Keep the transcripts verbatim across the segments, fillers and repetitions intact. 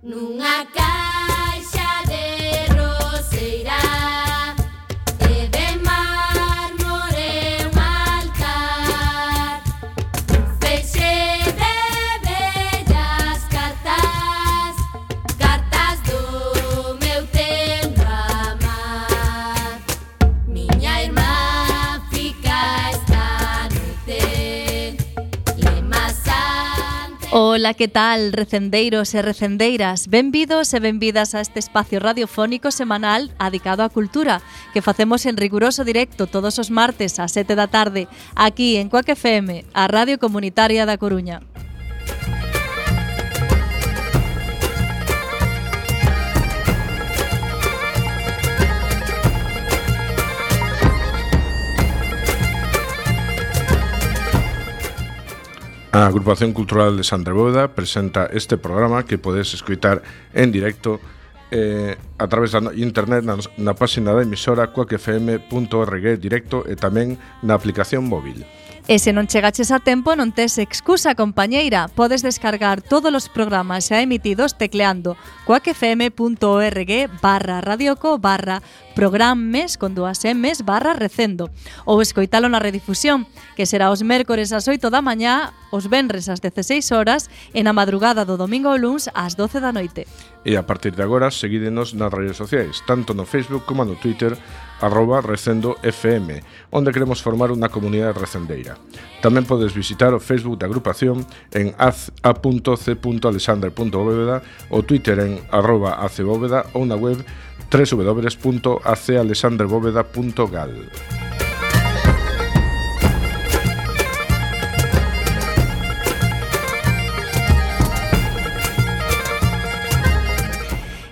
Nunha caixa de roseira e de mármore un altar, feixe de bellas cartas, cartas do meu tendo amar. Miña irmá fica esta noite lemasante. Ola, que tal, recendeiros e recendeiras? Benvidos e benvidas a este espacio radiofónico semanal adicado á cultura que facemos en riguroso directo todos os martes ás sete da tarde aquí en Cuac F M, a Radio Comunitaria da Coruña. A Agrupación Cultural de Sandra Bóveda presenta este programa que podes escoitar en directo eh, a través da internet na, na página da emisora cuac f m punto org directo e tamén na aplicación móvil. E se non chegaches a tempo non tes excusa, compañeira. Podes descargar todos os programas xa emitidos tecleando cuacfm.org barra radioco barra programmes con dúas emes barra recendo ou escoitalo na redifusión, que será os mércores ás oito da mañá, os venres ás dezaseis horas e na madrugada do domingo ao luns ás doce da noite. E a partir de agora seguídenos nas redes sociais, tanto no Facebook como no Twitter, arroba recendo fm, onde queremos formar unha comunidade recendeira. Tamén podes visitar o Facebook da agrupación en a punto c punto alexandre punto bóveda, o Twitter en arroba acbóveda ou na web w w w punto a c alexandre bóveda punto gal.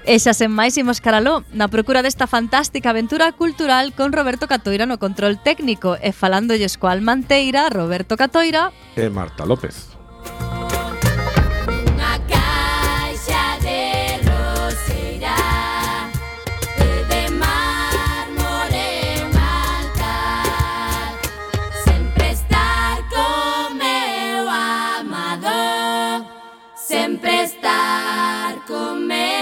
E xa sen máis imos caraló, na procura desta fantástica aventura cultural con Roberto Catoira no control técnico e falándolles coa almanteira Roberto Catoira e Marta López. Unha caixa de roseira e de mármore un altar, sempre estar co meu amado, sempre estar co meu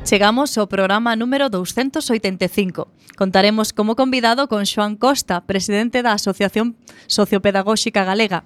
Chegamos ao programa número douscentos oitenta e cinco. Contaremos como convidado con Xoán Costa, presidente da Asociación Sociopedagóxica Galega.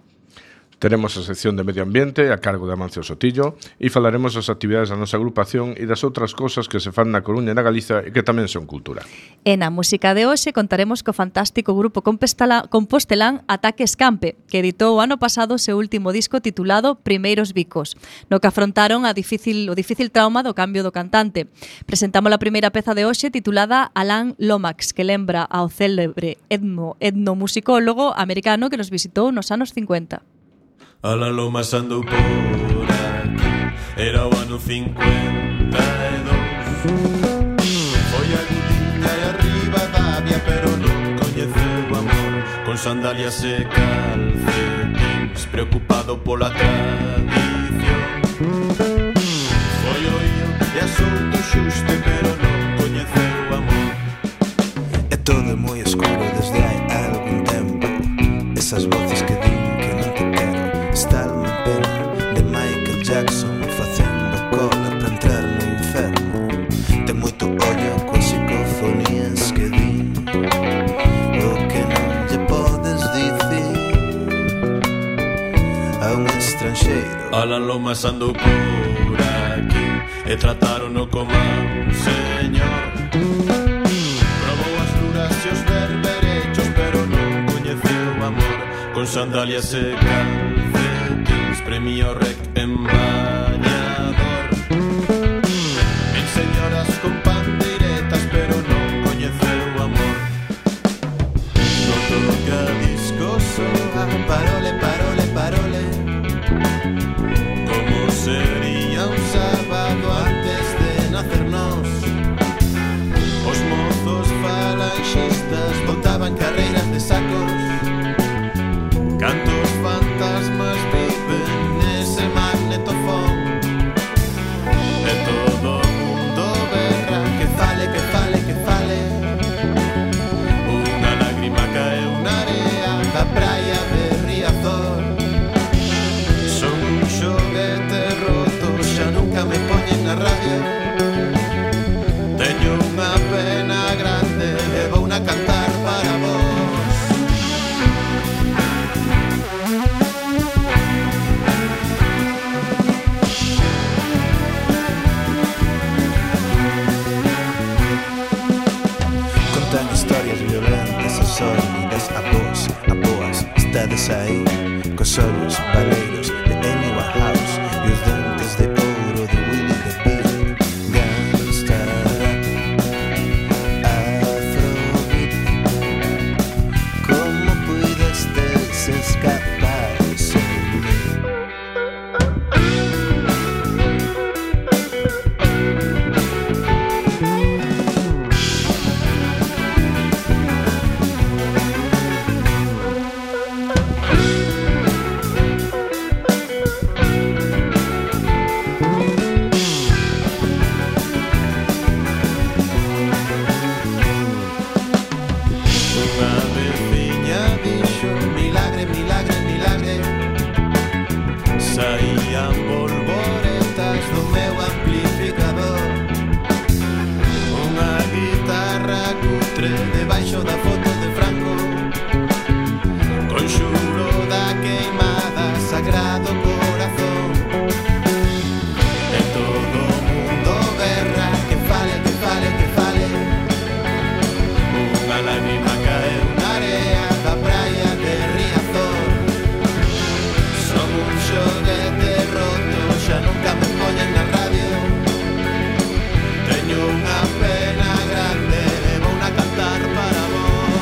Teremos a sección de Medio Ambiente a cargo de Amancio Sotillo e falaremos das actividades da nosa agrupación e das outras cousas que se fan na Coruña e na Galiza e que tamén son cultura. E na música de hoxe contaremos co fantástico grupo compostelán Ataque Escampe, que editou o ano pasado o seu último disco titulado Primeiros Bicos, no que afrontaron a difícil, o difícil trauma do cambio do cantante. Presentamos a primeira peza de hoxe titulada Alan Lomax, que lembra ao célebre etno, etnomusicólogo americano que nos visitou nos anos cincuenta. Alan Lomax andou por aquí, era o ano cincuenta e dous. Foi agudinha e arriba da vía, pero non coñeceu o amor. Con sandalias e calcetins, preocupado pola tradición. Foi oído e asouto xuste, pero non coñeceu o amor. É todo moi escuro desde hai algún tempo. Esas voces que din que non te quero. Está unha pena de Michael Jackson facendo cola para entrar no inferno. Ten moito ollo coas psicofonías que din o que non lle podes dicir a un estranxeiro. Alan Lomax andou por aquí e tratarono como un señor. Probou as luras e os berberechos, pero non coñeceu o amor. Con sandalias e calcetins, premio rec en bañador. Mil señoras con pandeiretas, pero non coñeceu o amor. No toca disco soa, parole, parole, parole. Como sería un sábado antes de nacernos? Os mozos falanxistas botaban carreiras de sacos. Cantos fantasmas viven nese magnetofón. E todo o mundo berra que fale, que fale, que fale. Unha sólidas, a vos, a boas, estades aí, cos ollos valeiros de Amy Winehouse e os dentes de ouro de Willie the Beat. Gangsta, Afrobeat, como pudestes escapar sem mí? Saían polvoretas do meu amplificador, unha guitarra cutre debaixo da foto de Franco, conxuro da queimada sagrado corazón. E todo o mundo berra que fale, que fale, que fale. Unha lágrima caeu na area da praia de Riazor. Son un xoguete roto, xa nunca me poñen na radio. Teño unha pena grande, vou na cantar para vos.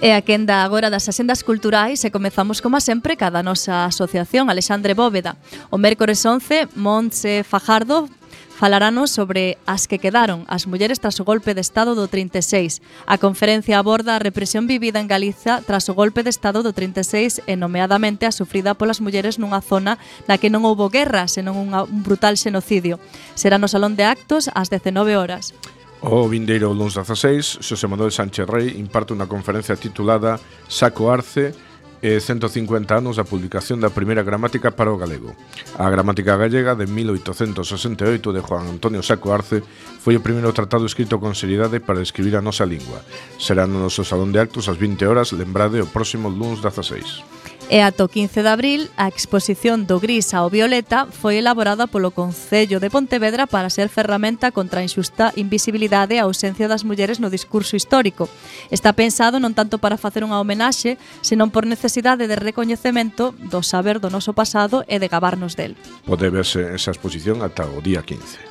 E a quenda agora das axendas culturais e comezamos como sempre cada nosa asociación Alexandre Bóveda. O mércores once, Montse Fajardo falaranos sobre as que quedaron, as mulleres tras o golpe de Estado do trinta e seis. A conferencia aborda a represión vivida en Galiza tras o golpe de Estado do trinta e seis e nomeadamente a sufrida polas mulleres nunha zona na que non houbo guerra, senón unha, un brutal xenocidio. Será no Salón de Actos ás dezenove horas. O vindeiro luns dezaseis, Xosé Manuel Sánchez Rey imparte unha conferencia titulada Saco Arce e ciento cincuenta anos da publicación da primeira gramática para o galego. A gramática gallega de mil oitocentos sesenta e oito de Juan Antonio Saco Arce foi o primeiro tratado escrito con seriedade para escribir a nosa lingua. Será no noso Salón de Actos ás vinte horas, lembrade o próximo luns dezaseis. E ata o quince de abril, a exposición do gris ao violeta foi elaborada polo Concello de Pontevedra para ser ferramenta contra a inxusta invisibilidade e a ausencia das mulleres no discurso histórico. Está pensado non tanto para facer unha homenaxe, senón por necesidade de recoñecemento do saber do noso pasado e de gabarnos del. Pode verse esa exposición ata o día quince.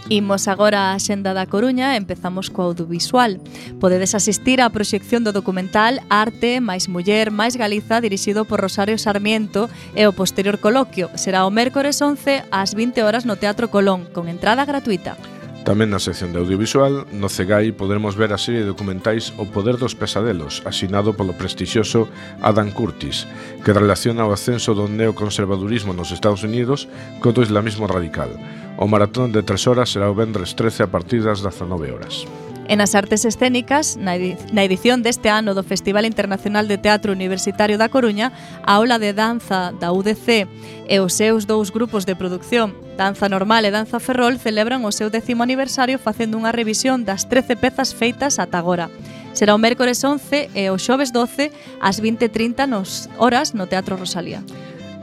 Imos agora á Xenda da Coruña e empezamos co audiovisual. Podedes asistir á proxección do documental Arte, máis Muller, máis Galiza, dirixido por Rosario Sarmiento e o posterior coloquio. Será o mércores once ás vinte horas no Teatro Colón, con entrada gratuita. Tamén na sección de audiovisual, no Cegai poderemos ver a serie de documentais O Poder dos Pesadelos, asinado polo prestixioso Adam Curtis, que relaciona o ascenso do neoconservadurismo nos Estados Unidos co do islamismo radical. O maratón de tres horas será o vendres trece a partir das dezanove horas. E nas artes escénicas, na edición deste ano do Festival Internacional de Teatro Universitario da Coruña, a aula de danza da U D C e os seus dous grupos de produción, Danza Normal e Danza Ferrol, celebran o seu décimo aniversario facendo unha revisión das trece pezas feitas ata agora. Será o mércores once e o xoves doce ás vinte e trinta nos horas no Teatro Rosalía.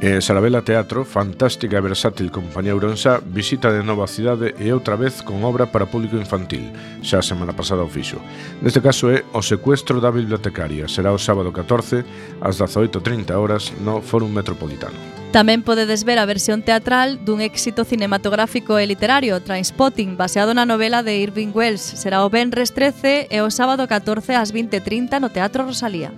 E Sarabela Teatro, fantástica e versátil compañía ourensá, visita de nova cidade e outra vez con obra para público infantil, xa a semana pasada o fixo. Neste caso é O secuestro da bibliotecaria, será o sábado catorce ás dezaoito e trinta horas no Fórum Metropolitano. Tamén podedes ver a versión teatral dun éxito cinematográfico e literario, Trainspotting, baseado na novela de Irving Welsh. Será o venres trece e o sábado catorce ás vinte e trinta no Teatro Rosalía.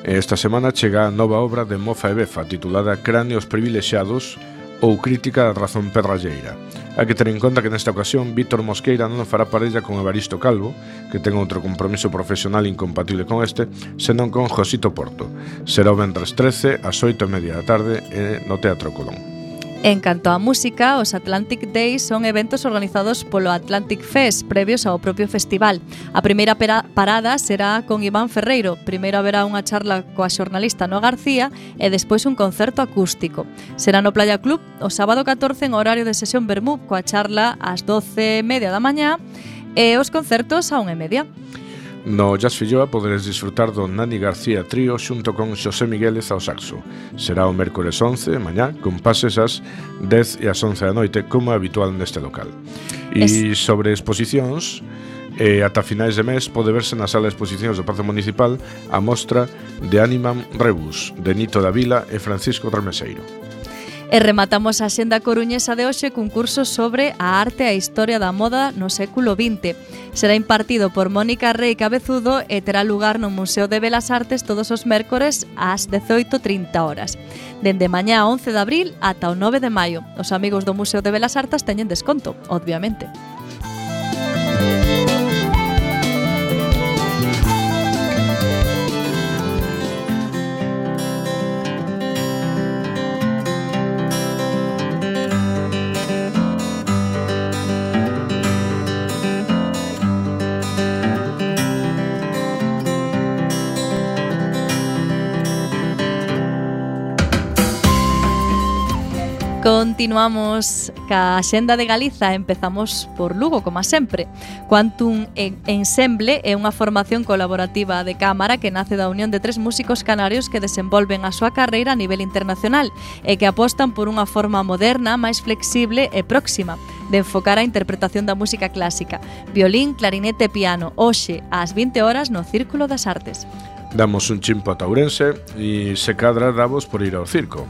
Esta semana chega a nova obra de Mofa e Befa, titulada Cráneos privilexiados ou Crítica da razón pedralleira. Hai que ter en conta que nesta ocasión Víctor Mosqueira non fará parella con Evaristo Calvo, que ten outro compromiso profesional incompatible con este, senón con Josito Porto. Será o venres trece ás oito e media da tarde no Teatro Colón. En canto á música, os Atlantic Days son eventos organizados polo Atlantic Fest previos ao propio festival. A primeira parada será con Iván Ferreiro. Primeiro haberá unha charla coa xornalista Noa García e despois un concerto acústico. Será no Playa Club o sábado catorce en horario de sesión vermú, coa charla ás doce e media da mañá e os concertos á unha e media. No Jazz Filloa poderes disfrutar do Nani García Trío xunto con Xosé Migueles ao saxo. Será o mércores once, mañá, con pases ás dez e ás once da noite, como é habitual neste local. E es... sobre exposicións, eh, ata finais de mes pode verse na sala de exposicións do Pazo Municipal a mostra de Animam Rebus, de Nito da Vila e Francisco Trameseiro. E rematamos a xenda coruñesa de hoxe cun curso sobre a arte e a historia da moda no século vinte. Será impartido por Mónica Rei Cabezudo e terá lugar no Museo de Belas Artes todos os mércores ás dezoito e trinta horas. Dende mañá once de abril ata o nove de maio. Os amigos do Museo de Belas Artes teñen desconto, obviamente. Continuamos ca Xenda de Galiza, empezamos por Lugo, como sempre. Quantum Ensemble é unha formación colaborativa de cámara que nace da unión de tres músicos canarios que desenvolven a súa carreira a nivel internacional e que apostan por unha forma moderna, máis flexible e próxima de enfocar a interpretación da música clásica. Violín, clarinete e piano, hoxe ás vinte horas no Círculo das Artes. Damos un chimpo a Taurense e se cadra davos por ir ao circo.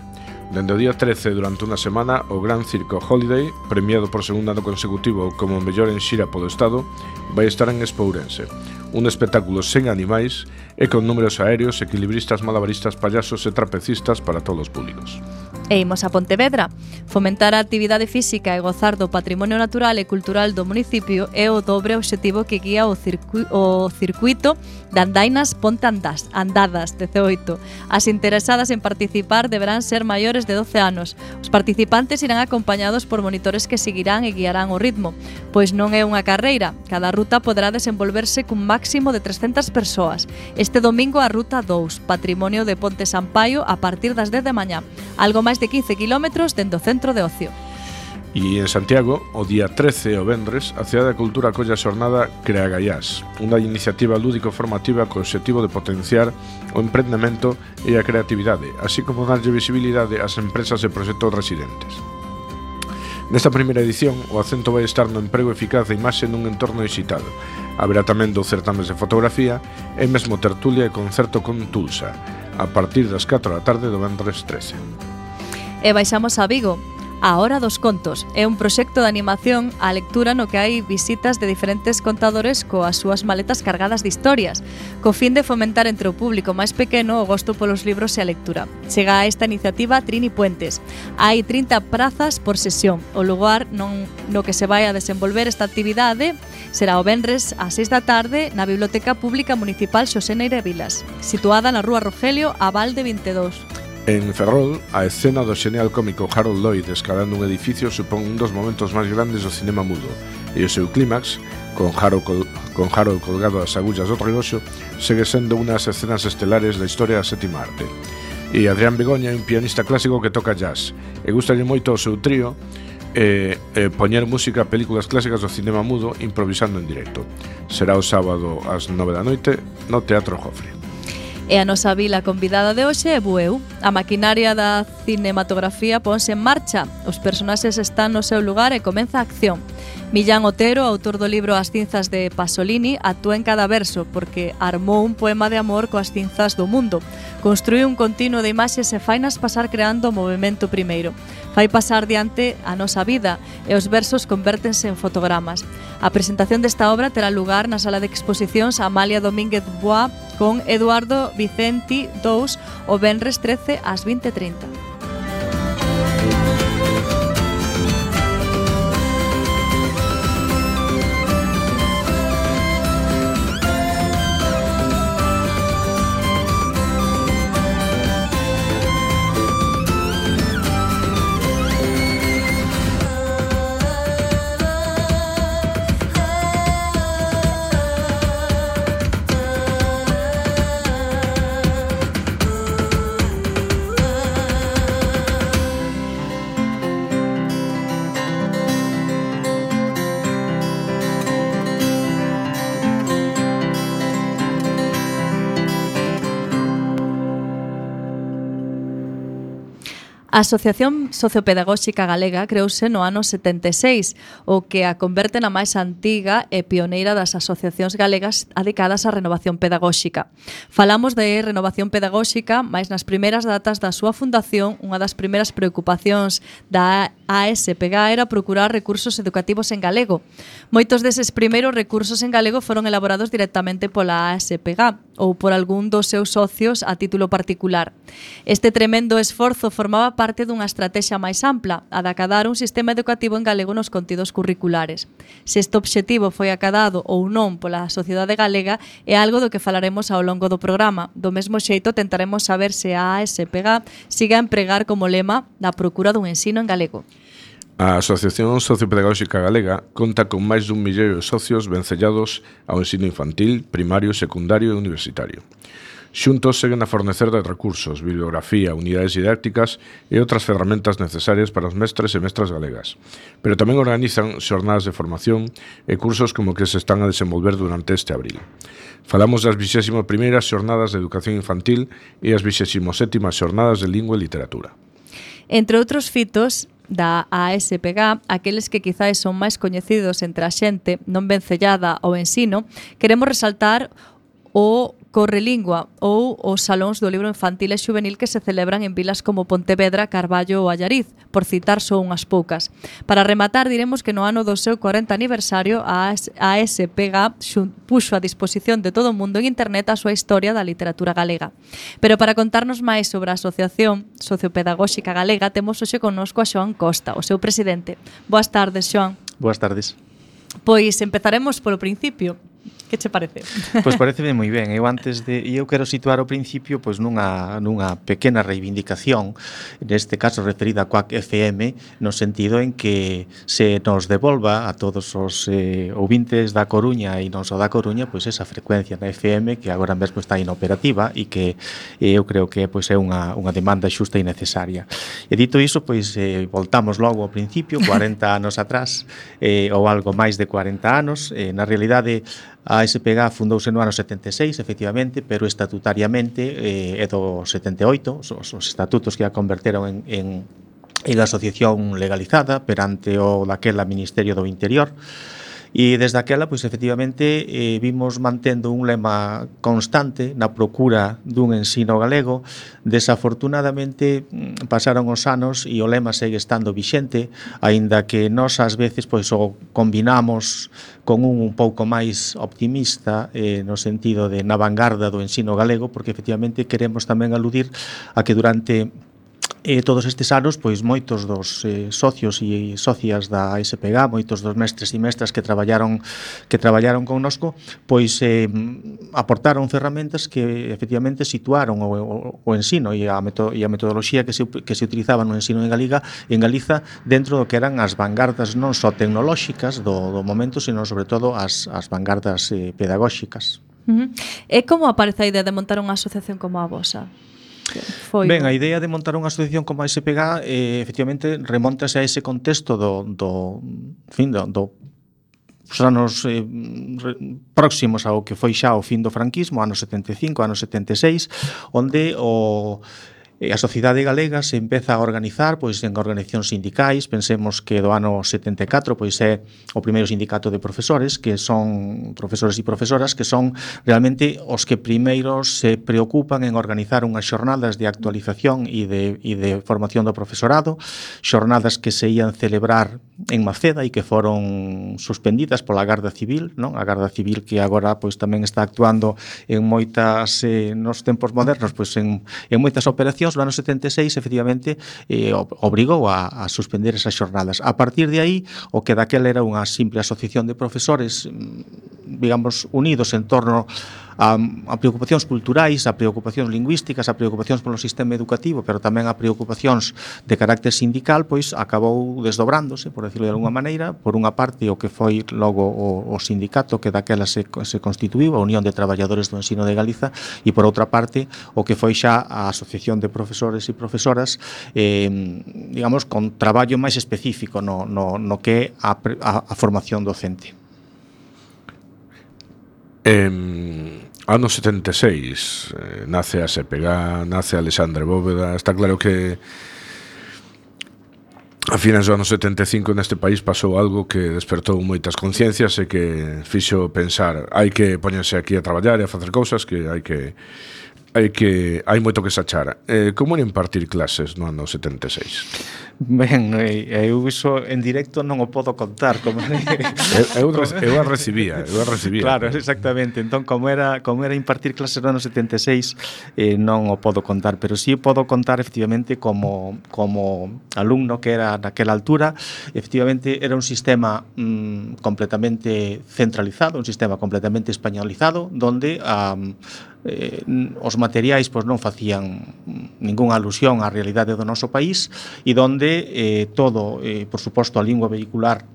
Dende o día trece durante unha semana, o Gran Circo Holiday, premiado por segundo ano consecutivo como mellor en xira polo Estado, vai estar en Espourense. Un espectáculo sen animais e con números aéreos, equilibristas, malabaristas, payasos e trapecistas para todos os públicos. E imos a Pontevedra. Fomentar a actividade física e gozar do patrimonio natural e cultural do municipio é o dobre obxectivo que guía o, circu o circuito de andainas Ponte Andas, Andadas dezaoito. As interesadas en participar deberán ser maiores de doce anos. Os participantes irán acompañados por monitores que seguirán e guiarán o ritmo, pois non é unha carreira. Cada ruta poderá desenvolverse cun máximo de trescentas persoas. Este domingo a ruta dous, Patrimonio de Ponte Sampaio, a partir das dez de mañá. Algo máis de quince kilómetros dende o centro de ocio. E en Santiago, o día trece o vendres, a Cidade da Cultura acolle a xornada Crea Gaiás, unha iniciativa lúdico-formativa co obxectivo de potenciar o emprendemento e a creatividade, así como darlle visibilidade ás empresas e proxectos residentes. Nesta primeira edición, o acento vai estar no emprego eficaz da imaxe nun entorno digital. Haberá tamén dous certames de fotografía e mesmo tertulia e concerto con Tulsa, a partir das catro da tarde do vendres trece. E baixamos a Vigo. A Hora dos Contos é un proxecto de animación á lectura no que hai visitas de diferentes contadores coas súas maletas cargadas de historias, co fin de fomentar entre o público máis pequeno o gosto polos libros e a lectura. Chega a esta iniciativa Trini Puentes. Hai trinta prazas por sesión. O lugar non, no que se vai a desenvolver esta actividade será o venres ás seis da tarde na Biblioteca Pública Municipal Xosé Neira Vilas, situada na Rúa Rogelio, a Valde vinte e dous. En Ferrol, a escena do xenial cómico Harold Lloyd escalando un edificio supón un dos momentos máis grandes do cinema mudo, e o seu clímax, con Harold, col con Harold colgado ás agullas do reloxo, segue sendo unha das escenas estelares da historia da sétima arte. E Adrián Begoña é un pianista clásico que toca jazz, e gustalle moito o seu trío e, e poñer música a películas clásicas do cinema mudo improvisando en directo. Será o sábado ás nove da noite no Teatro Jofre. E a nosa vila convidada de hoxe é Bueu. A maquinaria da cinematografía ponse en marcha. Os personaxes están no seu lugar e comeza a acción. Millán Otero, autor do libro As cinzas de Pasolini, actúa en cada verso porque armou un poema de amor coas cinzas do mundo. Construí un continuo de imaxes e fainas pasar creando o movimento primeiro. Fai pasar diante a nosa vida e os versos convértense en fotogramas. A presentación desta obra terá lugar na sala de exposicións Amalia Domínguez Boa con Eduardo Vicenti dous o venres trece ás vinte e trinta. A Asociación Sociopedagóxica Galega creouse no ano setenta e seis, o que a converte na máis antiga e pioneira das asociacións galegas dedicadas á renovación pedagóxica. Falamos de renovación pedagóxica, mais nas primeiras datas da súa fundación, unha das primeiras preocupacións da A S P G A era procurar recursos educativos en galego. Moitos deses primeiros recursos en galego foron elaborados directamente pola A S P G A ou por algún dos seus socios a título particular. Este tremendo esforzo formaba parte dunha estrategia máis ampla, a de acadar un sistema educativo en galego nos contidos curriculares. Se este obxectivo foi acadado ou non pola sociedade galega é algo do que falaremos ao longo do programa. Do mesmo xeito tentaremos saber se a A S P G A siga a empregar como lema da procura dun ensino en galego. A Asociación Sociopedagóxica Galega conta con máis dun milleiro de socios vencellados ao ensino infantil, primario, secundario e universitario. Xuntos seguen a fornecer de recursos, bibliografía, unidades didácticas e outras ferramentas necesarias para os mestres e mestras galegas. Pero tamén organizan xornadas de formación e cursos como que se están a desenvolver durante este abril. Falamos das vixésimo primeiras xornadas de educación infantil e as vixésimo sétimas xornadas de lingua e literatura. Entre outros fitos da A S P G A, aqueles que quizás son máis coñecidos entre a xente non vencellada ao ensino, queremos resaltar o Correlingua ou os salóns do libro infantil e juvenil que se celebran en vilas como Pontevedra, Carballo ou Allariz, por citar só unhas poucas. Para rematar, diremos que no ano do seu cuarenta aniversario a A S P G A puxo a disposición de todo o mundo en internet a súa historia da literatura galega. Pero para contarnos máis sobre a Asociación Sociopedagóxica Galega, temos hoxe connosco a Xoán Costa, o seu presidente. Boas tardes, Xoán. Boas tardes. Pois empezaremos polo principio. Que che parece? Pois pareceme moi ben. Eu antes de eu quero situar o principio pois nunha nunha pequena reivindicación, neste caso referida a Quack F M, no sentido en que se nos devolva a todos os eh, ouvintes da Coruña e non só da Coruña, pois esa frecuencia na F M que agora mesmo está inoperativa e que eh, eu creo que pois é unha unha demanda xusta e necesaria. E dito iso, pois eh, voltamos logo ao principio, cuarenta anos atrás, eh, ou algo máis de cuarenta anos, eh, na realidade a A S P G A fundouse no ano setenta e seis, efectivamente, pero estatutariamente eh, é do setenta e oito, os, os estatutos que a converteron en, en, en asociación legalizada perante o daquela Ministerio do Interior. E desde aquela, pois, efectivamente, eh, vimos mantendo un lema constante na procura dun ensino galego. Desafortunadamente, pasaron os anos e o lema segue estando vixente, aínda que nós, ás veces, pois, o combinamos con un un pouco máis optimista, eh, no sentido de na vanguarda do ensino galego, porque, efectivamente, queremos tamén aludir a que durante E todos estes anos, pois moitos dos eh, socios e socias da A S P G A, moitos dos mestres e mestras que traballaron que traballaron connosco, pois eh, aportaron ferramentas que efectivamente situaron o, o, o ensino e a, meto, e a metodoloxía que se, que se utilizaba no ensino en Galiga, en Galiza dentro do que eran as vanguardas non só tecnolóxicas do, do momento, sino sobre todo as, as vanguardas eh, pedagóxicas. Uh-huh. E como aparece a idea de montar unha asociación como a vosa? Foi, ben, a idea de montar unha asociación como a A S P G A eh, efectivamente remontase a ese contexto do, do, fin, do, do os anos eh, re, próximos ao que foi xa o fin do franquismo, anos setenta e cinco, anos setenta e seis, onde o E a sociedade galega se empeza a organizar pois en organizacións sindicais. Pensemos que do ano setenta e catro pois é o primeiro sindicato de profesores, que son profesores e profesoras que son realmente os que primeiros se preocupan en organizar unhas xornadas de actualización e de, e de formación do profesorado, xornadas que se ían celebrar en Maceda e que foron suspendidas pola Garda Civil, non? A Garda Civil que agora pois tamén está actuando en moitas eh, nos tempos modernos pois en, en moitas operacións. No ano setenta e seis, efectivamente, eh, obrigou a, a suspender esas xornadas. A partir de aí, o que daquela era unha simple asociación de profesores, digamos, unidos en torno a, a preocupacións culturais, a preocupacións lingüísticas, a preocupacións polo sistema educativo, pero tamén a preocupacións de carácter sindical, pois acabou desdobrándose, por decirlo de alguma maneira, por unha parte o que foi logo o, o sindicato que daquela se, se constituiu, a Unión de Traballadores do Ensino de Galiza, e por outra parte o que foi xa a Asociación de Profesores e Profesoras, eh, digamos, con traballo máis específico no, no, no que é a, a, a formación docente. Eh, ano setenta e seis eh, nace a S P G A, nace Alexandre Bóveda. Está claro que A finais do ano setenta e cinco neste país pasou algo que despertou moitas conciencias e que fixo pensar hai que poñerse aquí a traballar e a facer cousas, que hai que hai que hai moito que se achar. Eh, como era impartir clases no ano setenta e seis? Ben, eu iso en directo non o podo contar como eu, eu, eu a recibía, eu a recibía. Claro, exactamente. Entón, como era como era impartir clases no ano setenta e seis, eh, non o podo contar, pero sí podo contar efectivamente como como alumno que era naquela altura. Efectivamente era un sistema mm, completamente centralizado, un sistema completamente españolizado, donde um, eh, os materiais pois non facían ningunha alusión á realidade do noso país e donde eh, todo, eh, por suposto, a lingua vehicular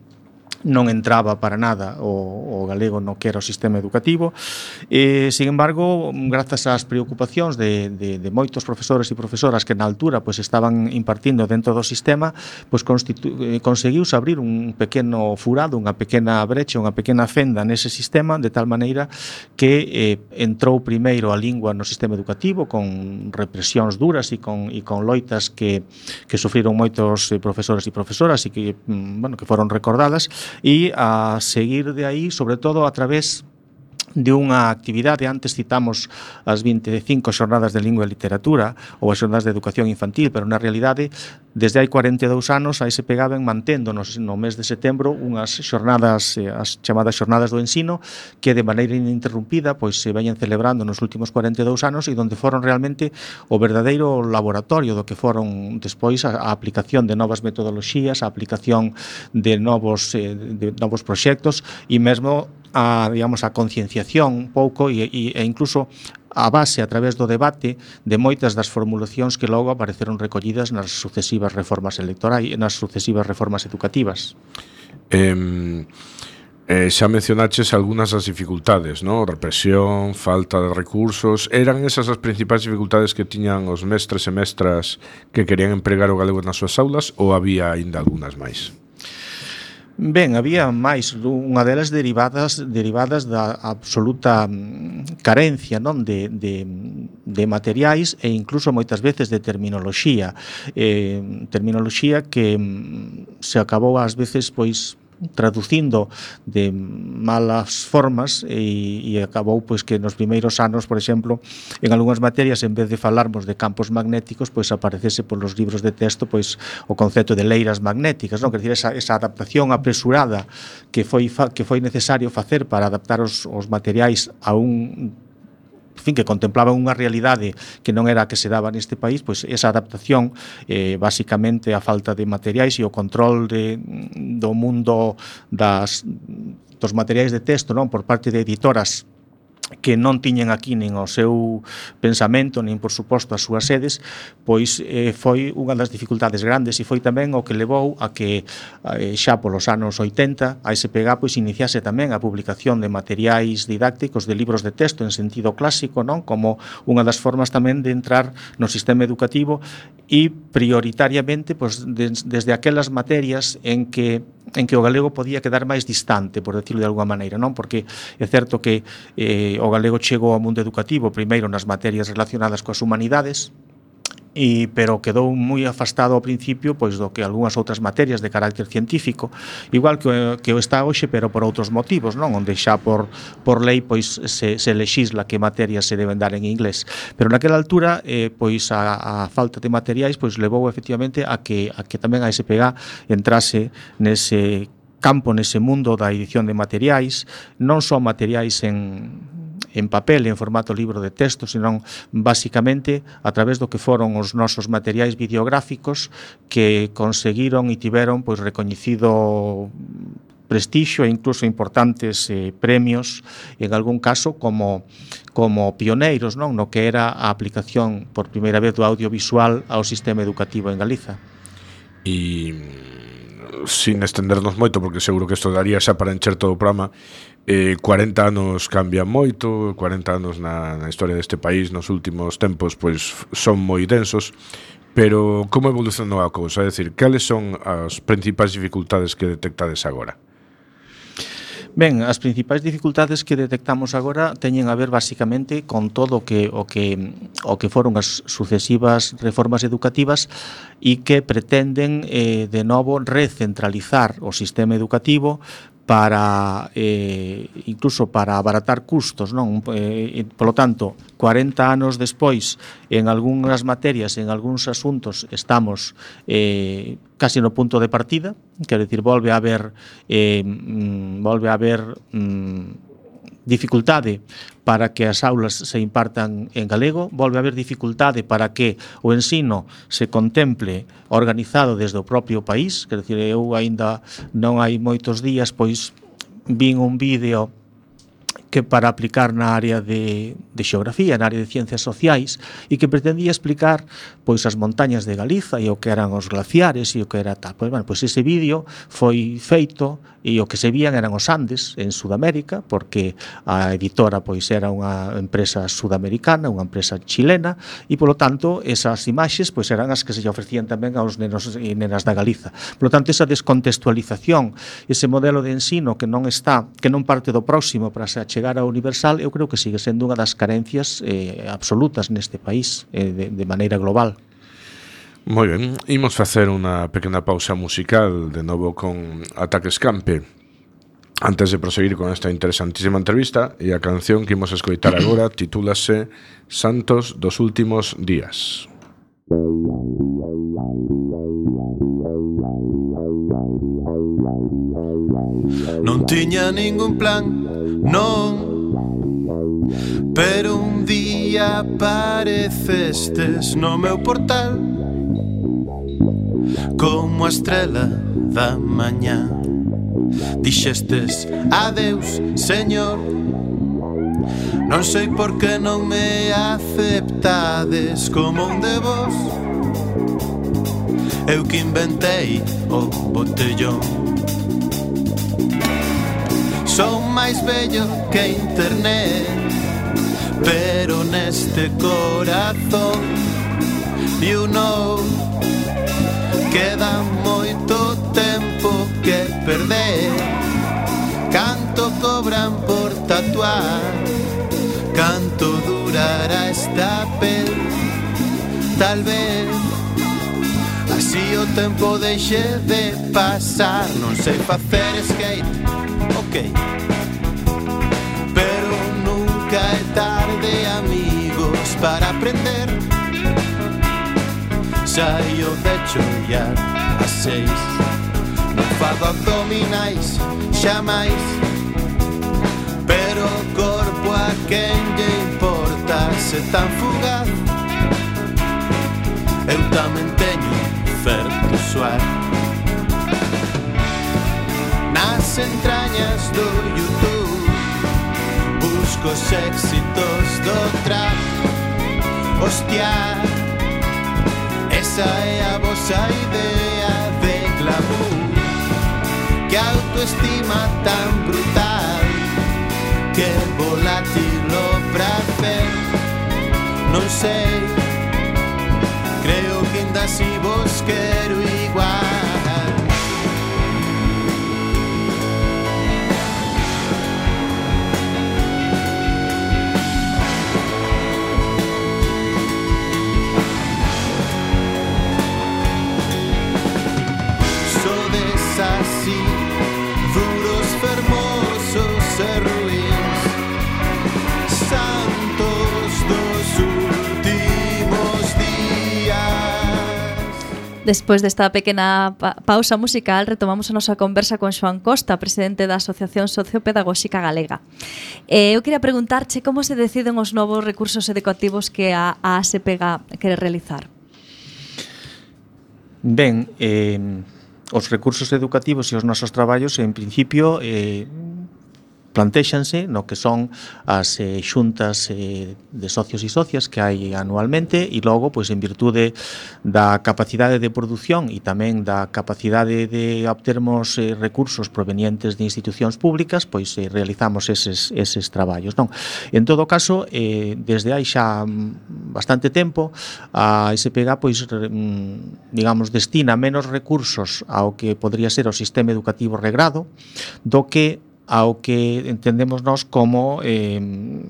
non entraba para nada o, o galego no que era o sistema educativo. E, sin embargo, grazas ás preocupacións de, de, de moitos profesores e profesoras que na altura pues, estaban impartindo dentro do sistema, pues, conseguiuse abrir un pequeno furado, unha pequena brecha, unha pequena fenda nese sistema, de tal maneira que eh, entrou primeiro a lingua no sistema educativo con represións duras e con, e con loitas que, que sufriron moitos eh, profesores e profesoras e que, bueno, que foron recordadas, e a seguir de aí, sobre todo a través de unha actividade. Antes citamos as vinte e cinco xornadas de lingua e literatura ou as xornadas de educación infantil, pero na realidade desde hai cuarenta e dous anos a S P G A ven mantendo no, no mes de setembro unhas xornadas, as chamadas xornadas do ensino, que de maneira ininterrumpida pois se veñen celebrando nos últimos cuarenta e dous anos e donde foron realmente o verdadeiro laboratorio do que foron despois a, a aplicación de novas metodoloxías, a aplicación de novos, eh, de novos proxectos e mesmo a, digamos, a concienciación un pouco e, e, e incluso a base a través do debate de moitas das formulacións que logo apareceron recollidas nas sucesivas reformas electorais e nas sucesivas reformas educativas. Eh, eh, xa mencionaches algunhas das dificultades, ¿no? Represión, falta de recursos. Eran esas as principais dificultades que tiñan os mestres e mestras que querían empregar o galego nas súas aulas ou había aínda algunhas máis? Ben, había máis, unha delas derivadas derivadas da absoluta carencia, non, de, de, de materiais e incluso moitas veces de terminoloxía, eh, terminoloxía que se acabou ás veces pois traducindo de malas formas e, e acabou pois que nos primeiros anos, por exemplo, en algunhas materias, en vez de falarmos de campos magnéticos, pois aparecese polos libros de texto pois o concepto de leiras magnéticas, non? Quer dizer, esa, esa adaptación apresurada que foi, fa, que foi necesario facer para adaptar os, os materiais a un en fin, que contemplaban unha realidade que non era a que se daba neste país, pois esa adaptación, eh, basicamente a falta de materiais e o control de, do mundo das, dos materiais de texto, non, por parte de editoras que non tiñen aquí nin o seu pensamento, nin, por suposto, as súas sedes, pois eh, foi unha das dificultades grandes e foi tamén o que levou a que eh, xa polos anos oitenta a S P G A pois iniciase tamén a publicación de materiais didácticos, de libros de texto en sentido clásico, non, como unha das formas tamén de entrar no sistema educativo e prioritariamente pois, des, desde aquelas materias en que en que o galego podía quedar máis distante, por decirlo de alguma maneira, non? Porque é certo que eh, o galego chegou ao mundo educativo primeiro nas materias relacionadas coas humanidades, e, pero quedou moi afastado ao principio pois do que algunhas outras materias de carácter científico, igual que o, que o está hoxe, pero por outros motivos, non? Onde xa por, por lei pois se, se lexisla que materias se deben dar en inglés, pero naquela altura eh, pois a, a falta de materiais pois levou efectivamente a que, a que tamén a S P G A entrase nese campo, nese mundo da edición de materiais, non só materiais en en papel, en formato libro de texto, senón basicamente a través do que foron os nosos materiais videográficos que conseguiron e tiveron pois recoñecido prestixio e incluso importantes eh, premios, en algún caso como como pioneiros, non, no que era a aplicación por primeira vez do audiovisual ao sistema educativo en Galiza. E sin estendernos moito, porque seguro que isto daría xa para encher todo o programa, eh, cuarenta anos cambian moito, cuarenta anos na, na historia deste país nos últimos tempos pois son moi densos, pero como evolucionou a cousa? É dicir, cales son as principais dificultades que detectades agora? Ben, as principais dificultades que detectamos agora teñen a ver basicamente con todo o que o que o que foron as sucesivas reformas educativas e que pretenden eh, de novo recentralizar o sistema educativo para eh, incluso para abaratar custos, non? Eh, polo tanto, cuarenta anos despois, en algunhas materias, en algúns asuntos, estamos eh, casi no punto de partida, quero dicir, volve a haber eh, volve a haber mm, dificultade para que as aulas se impartan en galego, volve a haber dificultade para que o ensino se contemple organizado desde o propio país, quer dizer, eu aínda non hai moitos días, pois vin un vídeo que para aplicar na área de, de xeografía, na área de ciencias sociais, e que pretendía explicar pois as montañas de Galiza e o que eran os glaciares e o que era tal. Pois, bueno, pois ese vídeo foi feito e o que se vían eran os Andes en Sudamérica, porque a editora pois era unha empresa sudamericana, unha empresa chilena, e polo tanto esas imaxes pois eran as que se lle ofrecían tamén aos nenos e nenas da Galiza. Polo tanto, esa descontextualización, ese modelo de ensino que non está, que non parte do próximo para se chegar ao universal, eu creo que sigue sendo unha das carencias eh, absolutas neste país, eh, de, de maneira global. Moi ben, imos facer unha pequena pausa musical de novo con Ataque Escampe antes de proseguir con esta interesantísima entrevista, e a canción que imos escoitar agora titúlase Santos dos últimos días. Non tiña ningún plan, non, pero un día aparecestes no meu portal como a estrela da mañá. Dixestes adeus, señor, non sei por que non me aceptades como un de vos. Eu que inventei o botellón. Son máis bello que internet, pero neste corazón, you know, queda moito tempo que perder. Canto cobran por tatuar, canto durará esta pel. Tal vez así o tempo deixe de pasar. Non sei facer skate, ok, pero nunca é tarde, amigos, para aprender. Saio de chollar a seis, non fago abdominais xamais, pero o corpo a quen lle importa se tan fugaz. Eu tamén teño certo suar nas entrañas do YouTube, busco os éxitos do trap. Hostia, esa é a vosa idea de glamour, que autoestima tan brutal, que volátil o prazer. Non sei, creo que ainda si vos quero igual. Así, duros, fermosos e ruins, santos dos últimos días. Despois desta pequena pa pausa musical, retomamos a nosa conversa con Xoán Costa, presidente da Asociación Sociopedagóxica Galega. Eh, eu queria preguntarche como se deciden os novos recursos educativos que a, a ASEPEGA quere realizar. Ben, eh... os recursos educativos e os nosos traballos, en principio, eh, plantéxanse no que son as eh, xuntas eh, de socios e socias que hai anualmente, e logo, pois, en virtude da capacidade de produción e tamén da capacidade de obtermos eh, recursos provenientes de institucións públicas, pois eh, realizamos eses, eses traballos, non? En todo caso, eh, desde hai xa bastante tempo, a ASEPEGA, pois, digamos, destina menos recursos ao que podría ser o sistema educativo regrado do que ao que entendemos nós como eh,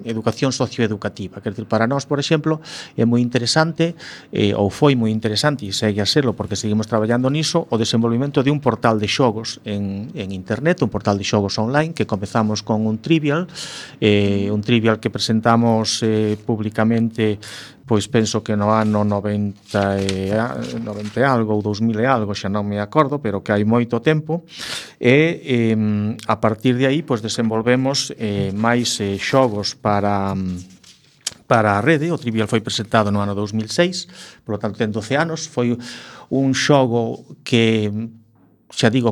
educación socioeducativa. Quer dizer, para nós, por exemplo, é moi interesante, eh, ou foi moi interesante, e segue a serlo porque seguimos traballando niso, o desenvolvimento de un portal de xogos en, en internet, un portal de xogos online, que comezamos con un trivial, eh, un trivial que presentamos eh, públicamente, pois penso que no ano noventa e, noventa e algo, ou dos mil e algo, xa non me acordo, pero que hai moito tempo, e eh, a partir de aí pois desenvolvemos eh, máis eh, xogos para para a rede. O Trivial foi presentado no ano dos mil seis, polo tanto ten doce anos, foi un xogo que, xa digo,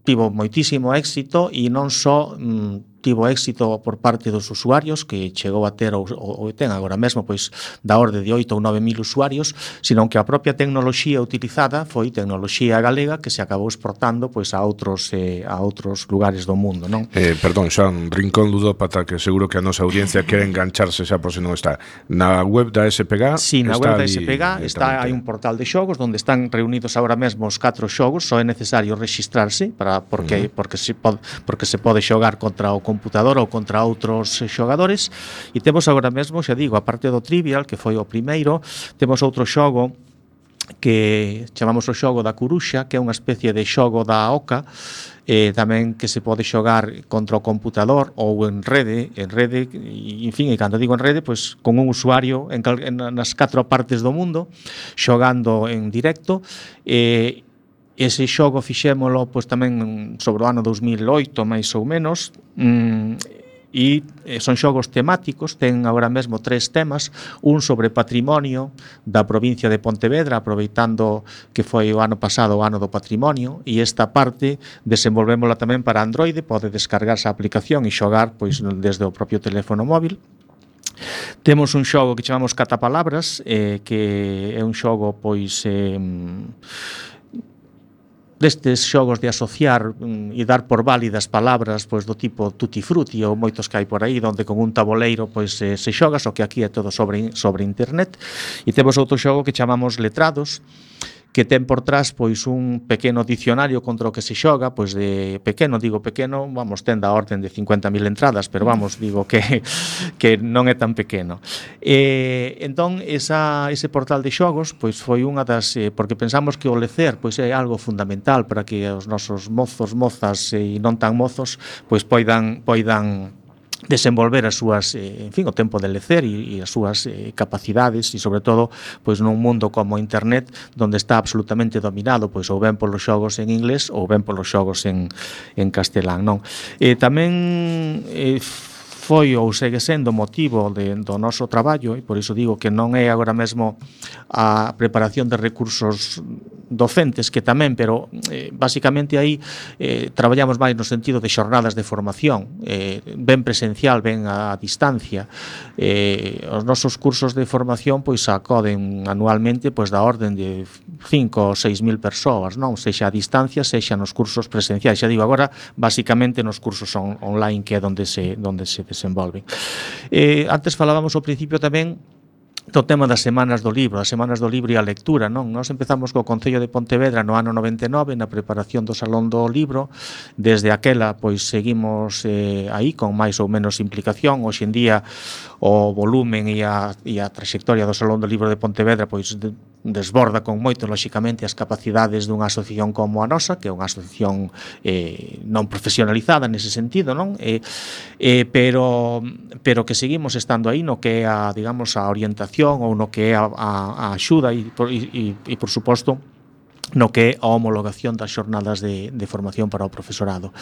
tivo moitísimo éxito, e non só mm, tivo éxito por parte dos usuarios, que chegou a ter, ou, ou ten agora mesmo, pois da orde de oito ou nove mil usuarios, sino que a propia tecnoloxía utilizada foi tecnoloxía galega que se acabou exportando pois a outros eh, a outros lugares do mundo, non? Eh, perdón, xa un rincón ludópata que seguro que a nosa audiencia quere engancharse xa por se non está. Na web da S P G Sí, na web da S P G está, hai un portal de xogos onde están reunidos agora mesmo os catro xogos, só é necesario rexistrarse para porque uh -huh. porque se pode porque se pode xogar contra o computador ou contra outros xogadores, e temos agora mesmo, xa digo, a parte do Trivial, que foi o primeiro, temos outro xogo que chamamos o xogo da Curuxa, que é unha especie de xogo da oca, eh, tamén que se pode xogar contra o computador ou en rede, en rede, e, en fin, e cando digo en rede, pois con un usuario en, cal, en nas catro partes do mundo, xogando en directo. eh, Ese xogo fixémolo pois tamén sobre o ano dos mil oito, máis ou menos, mm, e son xogos temáticos, ten agora mesmo tres temas, un sobre patrimonio da provincia de Pontevedra, aproveitando que foi o ano pasado o ano do patrimonio, e esta parte desenvolvémola tamén para Android, pode descargarse a aplicación e xogar pois desde o propio teléfono móvil. Temos un xogo que chamamos Catapalabras, eh, que é un xogo pois eh, destes xogos de asociar mm, e dar por válidas palabras pois do tipo tutti frutti ou moitos que hai por aí, onde con un tabuleiro pois eh, se xoga, só que aquí é todo sobre, sobre internet. E temos outro xogo que chamamos Letrados, que ten por trás pois un pequeno dicionario contra o que se xoga, pois de pequeno, digo pequeno, vamos, ten da orden de cincuenta mil entradas, pero vamos, digo que que non é tan pequeno. E entón esa ese portal de xogos pois foi unha das eh, porque pensamos que o lecer pois é algo fundamental para que os nosos mozos, mozas e non tan mozos pois poidan poidan desenvolver as súas, eh, en fin, o tempo de lecer e, e as súas eh, capacidades, e sobre todo pois nun mundo como internet onde está absolutamente dominado pois ou ben polos xogos en inglés ou ben polos xogos en, en castelán, non? E tamén eh, foi ou segue sendo motivo de, do noso traballo, e por iso digo que non é agora mesmo a preparación de recursos docentes, que tamén, pero eh, basicamente aí eh, traballamos máis no sentido de xornadas de formación, eh, ben presencial, ben a, a distancia. Eh, os nosos cursos de formación pois acoden anualmente pois da orden de cinco ou seis mil persoas, non? Sexa a distancia, sexa nos cursos presenciais. Xa digo, agora basicamente nos cursos on, online, que é onde se, onde se desenvolven. Eh, antes falábamos ao principio tamén do tema das semanas do libro, as semanas do libro e a lectura, non? Nós empezamos co Concello de Pontevedra no ano noventa e nove na preparación do Salón do Libro. Desde aquela, pois, seguimos eh, aí con máis ou menos implicación. Hoxe en día o volumen e a, e a trayectoria do Salón do Libro de Pontevedra pois de, desborda con moito, lóxicamente, as capacidades dunha asociación como a nosa, que é unha asociación eh, non profesionalizada nese sentido, non? Eh, eh, pero, pero que seguimos estando aí no que é a, digamos, a orientación ou no que é a, a, a axuda e, e, e, por suposto, no que é a homologación das xornadas de, de formación para o profesorado.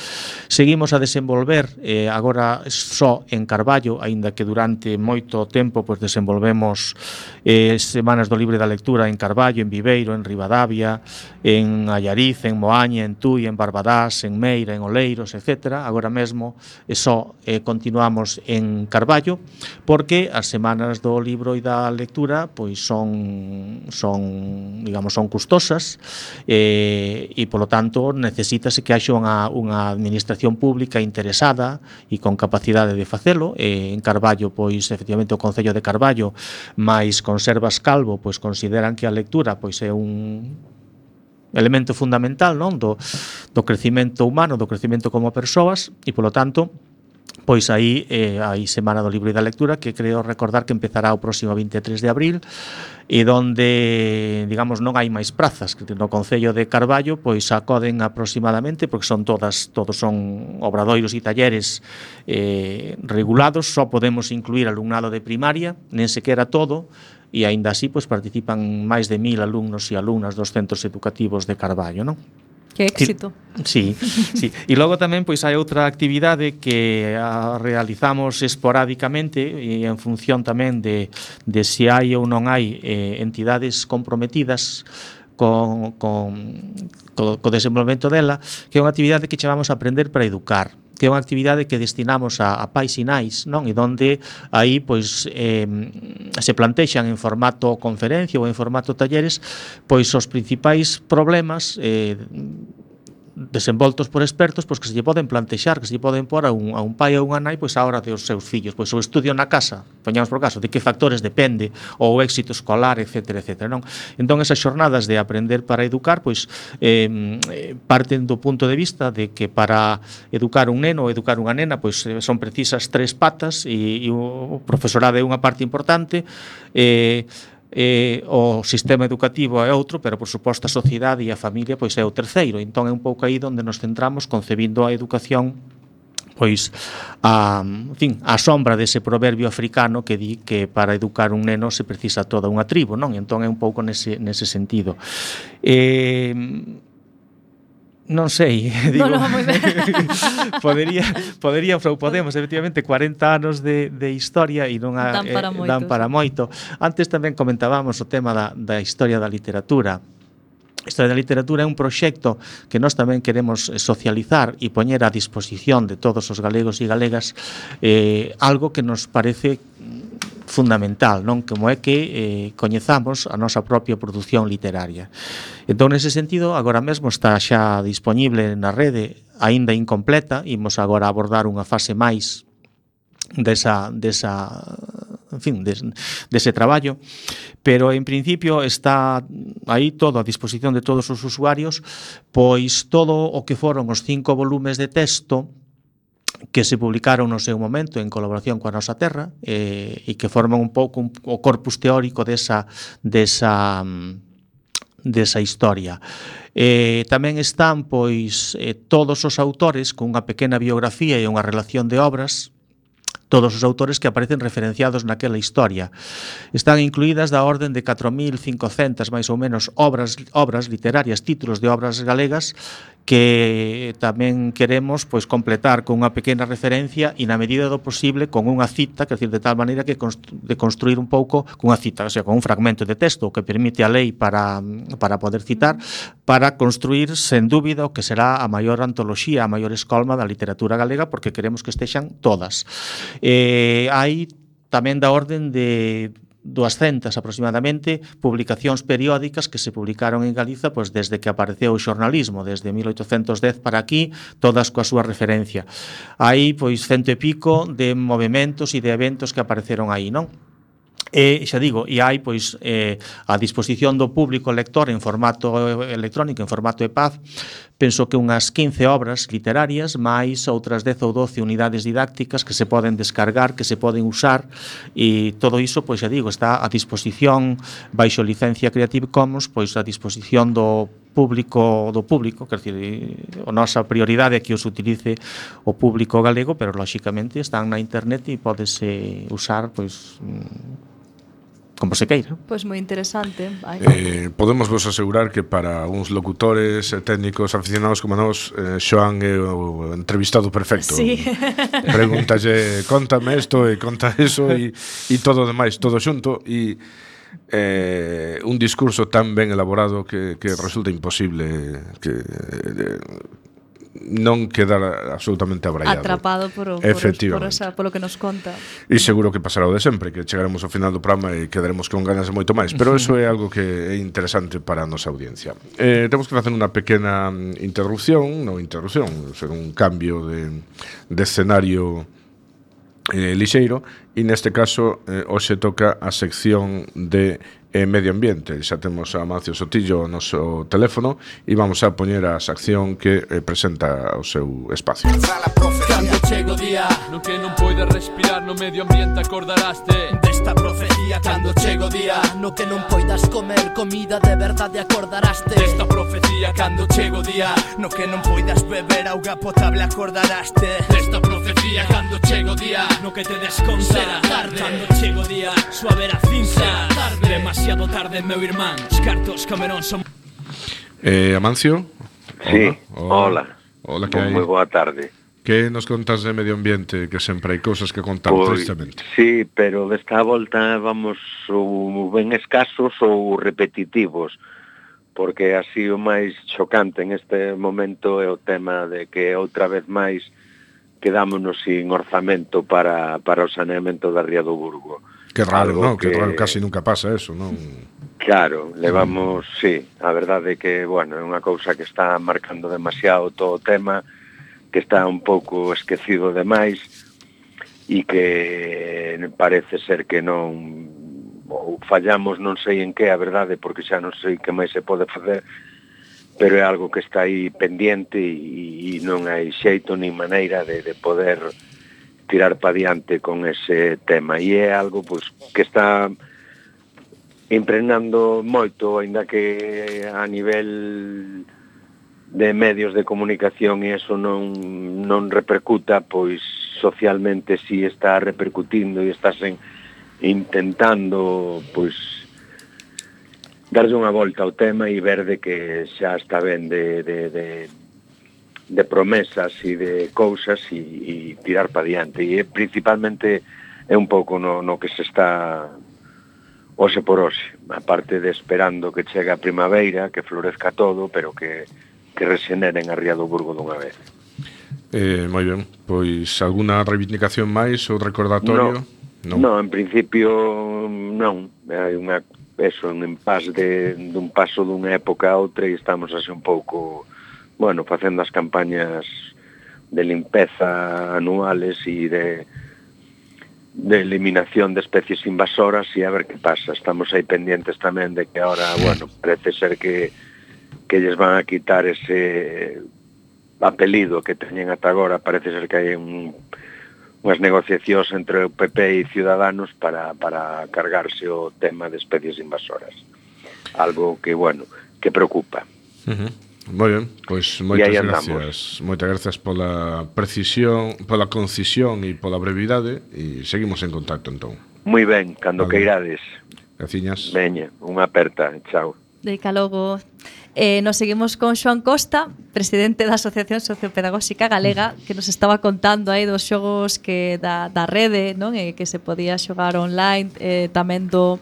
Seguimos a desenvolver eh, agora só en Carballo, aínda que durante moito tempo pois desenvolvemos eh, semanas do libro e da lectura en Carballo, en Viveiro, en Ribadavia, en Allariz, en Moaña, en Tui, en Barbadás, en Meira, en Oleiros, etcétera. Agora mesmo eh, só eh, continuamos en Carballo, porque as semanas do libro e da lectura pois son son, digamos, son custosas. Eh, e polo tanto necesítase que haxa unha, unha administración pública interesada e con capacidade de facelo. Eh, en Carballo, pois efectivamente o Concello de Carballo máis Conservas Calvo pois consideran que a lectura pois é un elemento fundamental, non, do, do crecimento humano, do crecimento como persoas, e polo tanto pois aí eh, hai Semana do Libro e da Lectura, que creo recordar que empezará o próximo vinte e tres de abril, e donde, digamos, non hai máis prazas, que no Concello de Carballo pois acoden aproximadamente, porque son todas todos son obradoiros e talleres eh, regulados, só podemos incluir alumnado de primaria, nen sequera todo, e aínda así pois participan máis de mil alumnos e alumnas dos centros educativos de Carballo, non? Que éxito. Sí, sí. E logo tamén pois hai outra actividade que a realizamos esporádicamente e en función tamén de, de se hai ou non hai eh, entidades comprometidas con, con, co, co desenvolvemento dela, que é unha actividade que chamamos Aprender para Educar, que é unha actividade que destinamos a, a pais e nais, non? E donde aí pois eh, se plantexan en formato conferencia ou en formato talleres pois os principais problemas eh, desenvoltos por expertos, pois que se lle poden plantexar, que se lle poden pôr a un, a un pai ou unha nai pois a hora dos seus fillos, pois o estudio na casa, poñamos por caso, de que factores depende, ou o éxito escolar, etcétera, etcétera, non? Entón esas xornadas de Aprender para Educar, pois eh, parten do punto de vista de que para educar un neno ou educar unha nena, pois son precisas tres patas e, e o profesorado é unha parte importante, eh Eh, o sistema educativo é outro, pero por suposto a sociedade e a familia pois é o terceiro. Entón é un pouco aí onde nos centramos concebindo a educación pois a, en fin, a sombra dese proverbio africano que di que para educar un neno se precisa toda unha tribo, non? Entón é un pouco nese, nese sentido. Eh, Non sei, digo, no, no, moi ben. podería, podería, ou podemos, efectivamente, cuarenta anos de, de historia e non a, dan para, eh, moito, dan para sí. moito. Antes tamén comentábamos o tema da, da historia da literatura. A Historia da Literatura é un proxecto que nós tamén queremos socializar e poñer a disposición de todos os galegos e galegas eh, algo que nos parece fundamental, non? Como é que eh, coñezamos a nosa propia produción literaria. Entón, nese sentido, agora mesmo está xa disponible na rede, aínda incompleta, imos agora abordar unha fase máis desa, desa en fin, des, dese traballo, pero en principio está aí todo a disposición de todos os usuarios, pois todo o que foron os cinco volumes de texto que se publicaron no seu momento en colaboración coa Nosa Terra eh, e que forman un pouco un, o corpus teórico desa, desa, desa historia. Eh, tamén están pois eh, todos os autores con unha pequena biografía e unha relación de obras, todos os autores que aparecen referenciados naquela historia. Están incluídas da orden de catro mil cincocentas máis ou menos obras, obras literarias, títulos de obras galegas que tamén queremos pois completar con unha pequena referencia e na medida do posible con unha cita, quer dizer, de tal maneira que constru, de construir un pouco con unha cita, o sea, con un fragmento de texto que permite a lei para, para poder citar, para construir, sen dúbida, o que será a maior antoloxía, a maior escolma da literatura galega, porque queremos que estexan todas. Eh, hai tamén da orden de duascentas aproximadamente publicacións periódicas que se publicaron en Galiza pois desde que apareceu o xornalismo, desde mil oitocentos dez para aquí, todas coa súa referencia. Hai pois cento e pico de movementos e de eventos que apareceron aí, non? E xa digo, e hai pois eh, a disposición do público lector en formato electrónico, en formato E P A B, penso que unhas quince obras literarias máis outras dez ou doce unidades didácticas que se poden descargar, que se poden usar, e todo iso, pois xa digo, está a disposición baixo licencia Creative Commons, pois a disposición do público do público, quer dizer, a nosa prioridade é que os utilice o público galego, pero lóxicamente están na internet e pódese usar pois como se queira. Pois moi interesante. Eh, podemos vos asegurar que para uns locutores e técnicos aficionados como nós, eh, Xoán é o entrevistado perfecto. Sí. Pregúntalle, contame isto e conta eso e, e todo o demais, todo xunto, e eh, un discurso tan ben elaborado que, que resulta imposible que eh, non quedar absolutamente abraiado. Atrapado por, o, por, por esa, polo que nos conta. E seguro que pasará o de sempre, que chegaremos ao final do programa e quedaremos con ganas de moito máis, pero eso é algo que é interesante para a nosa audiencia. Eh, temos que facer unha pequena interrupción, non interrupción, ser un cambio de, de escenario eh, lixeiro, E neste caso, eh, hoxe toca a sección de eh, Medio Ambiente. Xa temos a Amancio Sotillo no noso teléfono e vamos a poñer a sección que eh, presenta o seu espacio. Cando chego o día no que non poides respirar, no medio ambiente acordaraste desta profecía. Cando chego o día no que non poidas comer comida de verdade, acordaraste desta profecía. Cando chego o día no que non poidas beber auga potable, acordaraste desta profecía. Cando chego o día no que te desconta tarde. Cando chego o día suave a cinza tarde. Demasiado tarde, meu irmán. Os cartos Camerón son... Eh, Amancio? Sí, hola. Hola, que hai? Moi boa tarde. Que nos contas de medio ambiente, que sempre hai cousas que contar, Pois, tristemente? sí, pero desta volta vamos ou ben escasos ou repetitivos, porque así o máis chocante en este momento é o tema de que outra vez máis quedámonos sin orzamento para, para o saneamento da Ría do Burgo. Que raro, Algo non? Que... que raro, casi nunca pasa eso, non? Claro, levamos, sí, a verdade é que, bueno, é unha cousa que está marcando demasiado todo o tema, que está un pouco esquecido demais e que parece ser que non ou fallamos non sei en que, a verdade, porque xa non sei que máis se pode facer, pero é algo que está aí pendiente e, e non hai xeito ni maneira de, de poder tirar pa diante con ese tema. E é algo pois, que está impregnando moito, aínda que a nivel de medios de comunicación e eso non, non repercuta, pois socialmente si está repercutindo e estás en, intentando pois darlle unha volta ao tema e ver de que xa está ben de, de, de, de promesas e de cousas e, e tirar pa diante. E principalmente é un pouco no, no que se está hoxe por hoxe, aparte de esperando que chegue a primavera, que florezca todo, pero que que rexeneren a Ría do Burgo dunha vez. Eh, moi ben, pois alguna reivindicación máis ou recordatorio? No, no, en principio non, hai unha eso, un impasse de dun paso dunha época a outra e estamos así un pouco, bueno, facendo as campañas de limpeza anuales e de de eliminación de especies invasoras e a ver que pasa. Estamos aí pendientes tamén de que ahora, bueno, parece ser que que lles van a quitar ese apelido que teñen ata agora. Parece ser que hai un, unhas negociacións entre o P P e Ciudadanos para, para cargarse o tema de especies invasoras. Algo que, bueno, que preocupa. Uh-huh. Moi ben, pois moitas gracias. Moitas gracias pola precisión, pola concisión e pola brevidade e seguimos en contacto entón. Moi ben, cando vale. Queirades. Graciñas. Veña, unha aperta, chao. Deica logo. Eh, nos seguimos con Xoán Costa, presidente da Asociación Sociopedagóxica Galega, que nos estaba contando aí dos xogos que da, da rede, non? E que se podía xogar online, eh, tamén do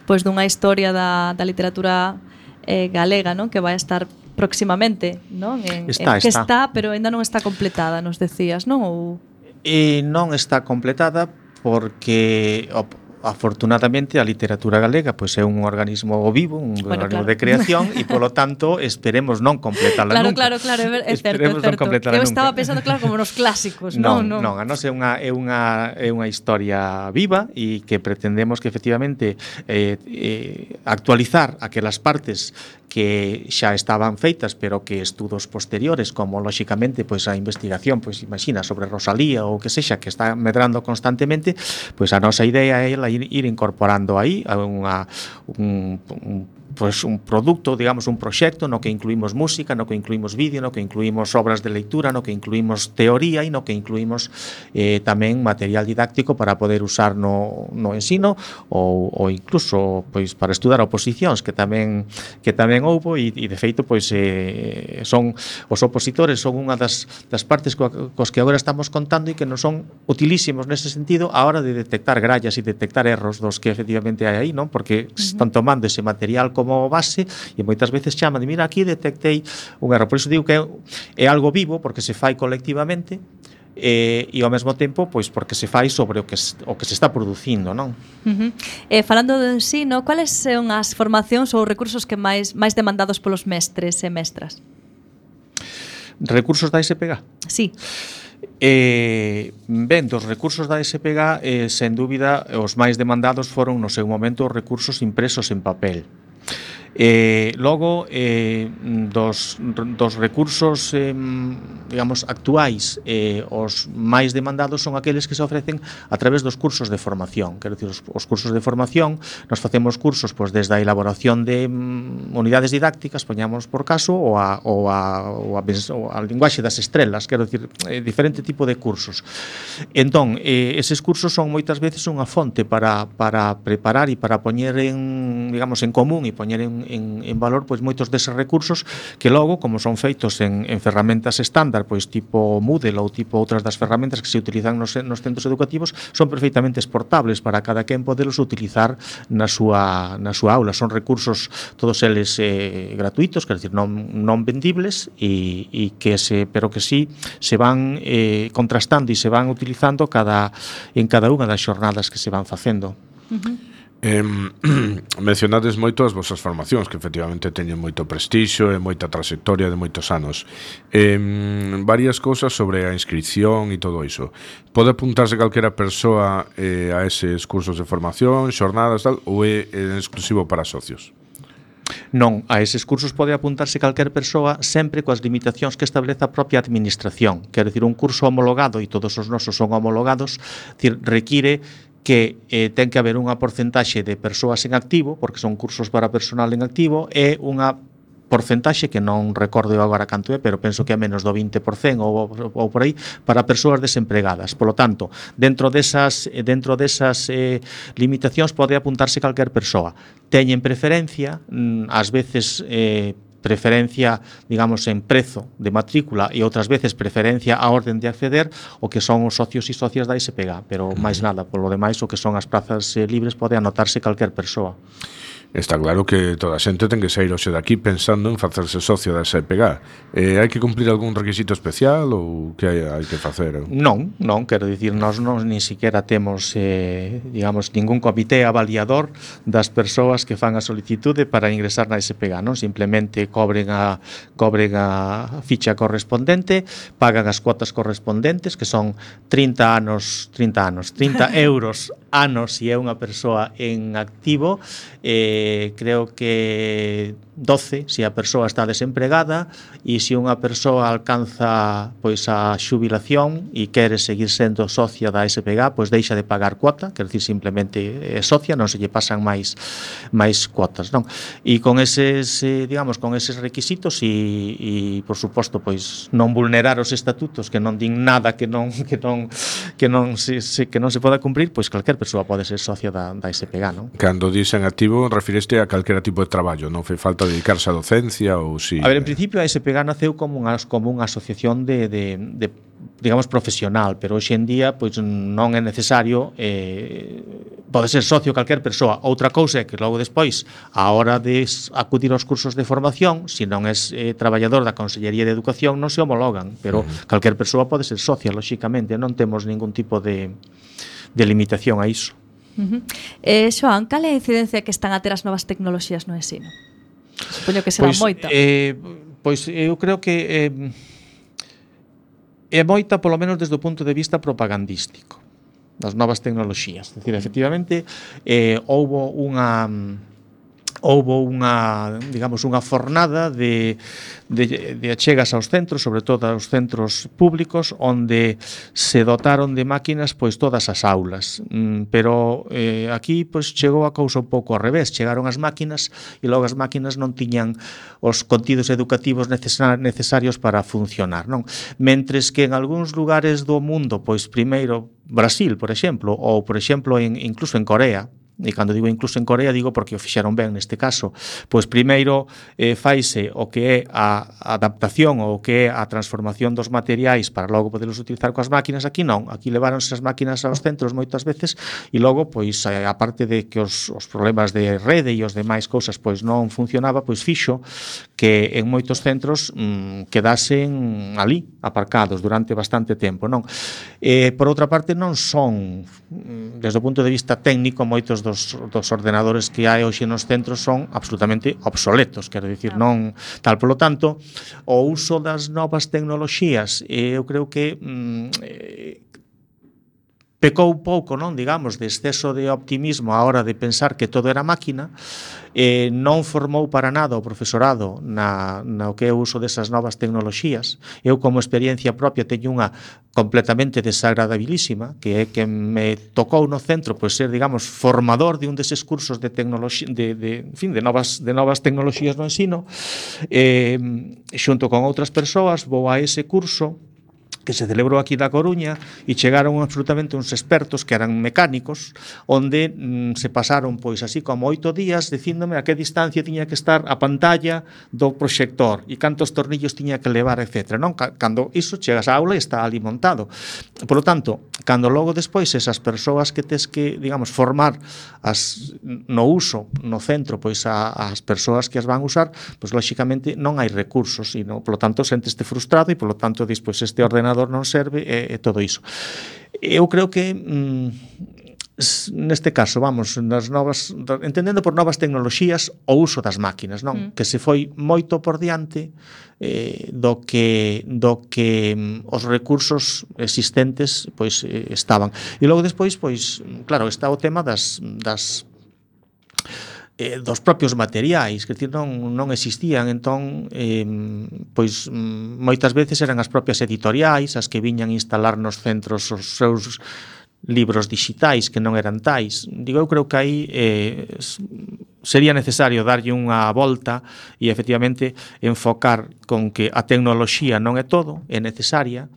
pois dunha historia da, da literatura eh, galega, non? Que vai estar próximamente, non? En, está, en, que está. está, pero ainda non está completada, nos decías, non? Ou... E non está completada porque afortunadamente a literatura galega pois é un organismo vivo, un bueno, organismo claro. de creación e polo tanto esperemos non completala claro, nunca. Claro, claro, claro, é certo, é certo. Eu estaba pensando claro como nos clásicos, non, non. Non, non, a nos é unha é unha é unha historia viva e que pretendemos que efectivamente eh, eh, actualizar aquelas partes que xa estaban feitas, pero que estudos posteriores, como lóxicamente pois a investigación, pois imagina sobre Rosalía ou que sexa que está medrando constantemente, pois a nosa idea é ir, ir incorporando aí a unha un, un pois un produto, digamos, un proxecto no que incluímos música, no que incluímos vídeo, no que incluímos obras de lectura, no que incluímos teoría e no que incluímos eh, tamén material didáctico para poder usar no, no ensino ou, ou incluso pois para estudar oposicións que tamén que tamén houbo e, e de feito pois eh, son os opositores son unha das, das partes co, cos que agora estamos contando e que non son utilísimos nese sentido a hora de detectar grallas e detectar erros dos que efectivamente hai aí, non? Porque uh-huh. están tomando ese material como base e moitas veces chaman de mira aquí detectei un erro, por iso digo que é, é algo vivo porque se fai colectivamente e, e ao mesmo tempo pois porque se fai sobre o que, o que se está producindo, non? Uh-huh. Eh, falando do ensino, cuáles son as formacións ou recursos que máis máis demandados polos mestres e mestras? Recursos da S P G? Sí. Eh, ben, dos recursos da S P G, eh, sen dúbida, os máis demandados foron no seu momento os recursos impresos en papel. Eh, logo, eh, dos, dos recursos eh, digamos, actuais, eh, os máis demandados son aqueles que se ofrecen a través dos cursos de formación. Quero dicir, os, os cursos de formación, nos facemos cursos pois, desde a elaboración de mm, unidades didácticas, poñamos por caso, ou a, ou a, ou a, ou a linguaxe das estrelas, quero dicir, eh, diferente tipo de cursos. Entón, eh, eses cursos son moitas veces unha fonte para, para preparar e para poñer en, digamos, en común e poñer en En, en valor pois moitos deses recursos que logo, como son feitos en, en ferramentas estándar, pois tipo Moodle ou tipo outras das ferramentas que se utilizan nos, nos centros educativos, son perfectamente exportables para cada quen podelos utilizar na súa, na súa aula. Son recursos todos eles eh, gratuitos, quer dizer, non, non vendibles e, e que se, pero que sí se van eh, contrastando e se van utilizando cada, en cada unha das xornadas que se van facendo. Uh-huh. Eh, mencionades moito as vosas formacións que efectivamente teñen moito prestixio e moita trayectoria de moitos anos. Eh, varias cousas sobre a inscripción e todo iso. Pode apuntarse calquera persoa eh, a eses cursos de formación, xornadas tal, ou é exclusivo para socios? Non, a eses cursos pode apuntarse calquer persoa sempre coas limitacións que establece a propia administración. Quero dicir, un curso homologado, e todos os nosos son homologados, decir, require que eh, ten que haber unha porcentaxe de persoas en activo, porque son cursos para personal en activo, e unha porcentaxe que non recordo agora canto é, pero penso que é menos do vinte por cento ou, ou por aí, para persoas desempregadas. Por lo tanto, dentro desas, dentro desas eh, limitacións pode apuntarse calquer persoa. Teñen preferencia, ás veces eh, preferencia, digamos, en prezo de matrícula e outras veces preferencia a orden de acceder o que son os socios e socias da S P G, pero máis nada, polo demais o que son as prazas eh, libres pode anotarse calquer persoa. Está claro que toda a xente ten que sair hoxe daqui pensando en facerse socio da S P G. Eh, hai que cumplir algún requisito especial ou que hai, hai que facer? Non, non, quero dicir, nós non ni siquiera temos, eh, digamos, ningún comité avaliador das persoas que fan a solicitude para ingresar na S P G, non? Simplemente cobren a, cobren a ficha correspondente, pagan as cuotas correspondentes, que son trinta anos, trinta anos, trinta euros anos se é unha persoa en activo, eh, creo que doce se a persoa está desempregada, e se unha persoa alcanza pois a xubilación e quere seguir sendo socia da S P G, pois deixa de pagar cuota, quer dicir, simplemente é socia, non se lle pasan máis máis cuotas, non? E con eses, eh, digamos, con eses requisitos e, e por suposto, pois non vulnerar os estatutos que non din nada que non que non que non se, se que non se poda cumprir, pois calquer persoa pode ser socia da, da S P G, non? Cando dicen activo, refireste a calquera tipo de traballo, non fai falta dedicarse á docencia ou si... A ver, en principio a S P G naceu como unha, como unha asociación de, de, de digamos, profesional, pero hoxe en día pois non é necesario, eh, pode ser socio calquer persoa. Outra cousa é que logo despois, a hora de acudir aos cursos de formación, se non és eh, traballador da Consellería de Educación, non se homologan, pero uh-huh. calquer persoa pode ser socia, lóxicamente, non temos ningún tipo de, de limitación a iso. Uh-huh. Eh, Xoán, cal é a incidencia que están a ter as novas tecnoloxías no ensino? Supoño que será pois, moita. Eh, pois eu creo que eh, é moita, polo menos desde o punto de vista propagandístico das novas tecnoloxías. É dicir, efectivamente, eh, houbo unha houbo unha, digamos, unha fornada de, de, de achegas aos centros, sobre todo aos centros públicos, onde se dotaron de máquinas pois todas as aulas. Mm, pero eh, aquí pois chegou a cousa un pouco ao revés, chegaron as máquinas e logo as máquinas non tiñan os contidos educativos necesarios para funcionar, non? Mentres que en algúns lugares do mundo, pois primeiro Brasil, por exemplo, ou por exemplo en, incluso en Corea, e cando digo incluso en Corea digo porque o fixeron ben neste caso, pois primeiro eh, faise o que é a adaptación ou o que é a transformación dos materiais para logo poderlos utilizar coas máquinas. Aquí non, aquí leváronse as máquinas aos centros moitas veces e logo, pois, a parte de que os, os problemas de rede e os demais cousas pois non funcionaba, pois fixo que en moitos centros mmm, quedasen ali, aparcados durante bastante tempo, non? Eh, por outra parte, non son, desde o punto de vista técnico, moitos dos dos, dos ordenadores que hai hoxe nos centros son absolutamente obsoletos, quero dicir, non tal. Polo tanto, o uso das novas tecnoloxías, eh, eu creo que mm, eh, pecou un pouco, non, digamos, de exceso de optimismo á hora de pensar que todo era máquina, eh, non formou para nada o profesorado na, na o que é o uso desas novas tecnoloxías. Eu, como experiencia propia, teño unha completamente desagradabilísima, que é que me tocou no centro pois ser, digamos, formador de un deses cursos de tecnoloxía, de, de, en fin, de novas, de novas tecnoloxías no ensino, eh, xunto con outras persoas, vou a ese curso que se celebrou aquí da Coruña e chegaron absolutamente uns expertos que eran mecánicos, onde mm, se pasaron pois así como oito días dicíndome a que distancia tiña que estar a pantalla do proxector e cantos tornillos tiña que levar, etcétera. Non? Cando iso chegas á aula e está ali montado. Por lo tanto, cando logo despois esas persoas que tes que, digamos, formar as, no uso no centro pois a, as persoas que as van usar, pois lóxicamente non hai recursos e, no, por lo tanto, senteste frustrado e, por lo tanto, despois este ordenador non serve e, e todo iso. Eu creo que mm, neste caso, vamos, nas novas, entendendo por novas tecnoloxías o uso das máquinas, non? Mm. Que se foi moito por diante eh, do que do que mm, os recursos existentes pois eh, estaban. E logo despois, pois, claro, está o tema das das Eh, dos propios materiais, que decir, non, non existían, entón eh, pois moitas veces eran as propias editoriais as que viñan instalar nos centros os seus libros digitais que non eran tais. Digo, eu creo que aí eh, sería necesario darlle unha volta e efectivamente enfocar con que a tecnoloxía non é todo, é necesaria,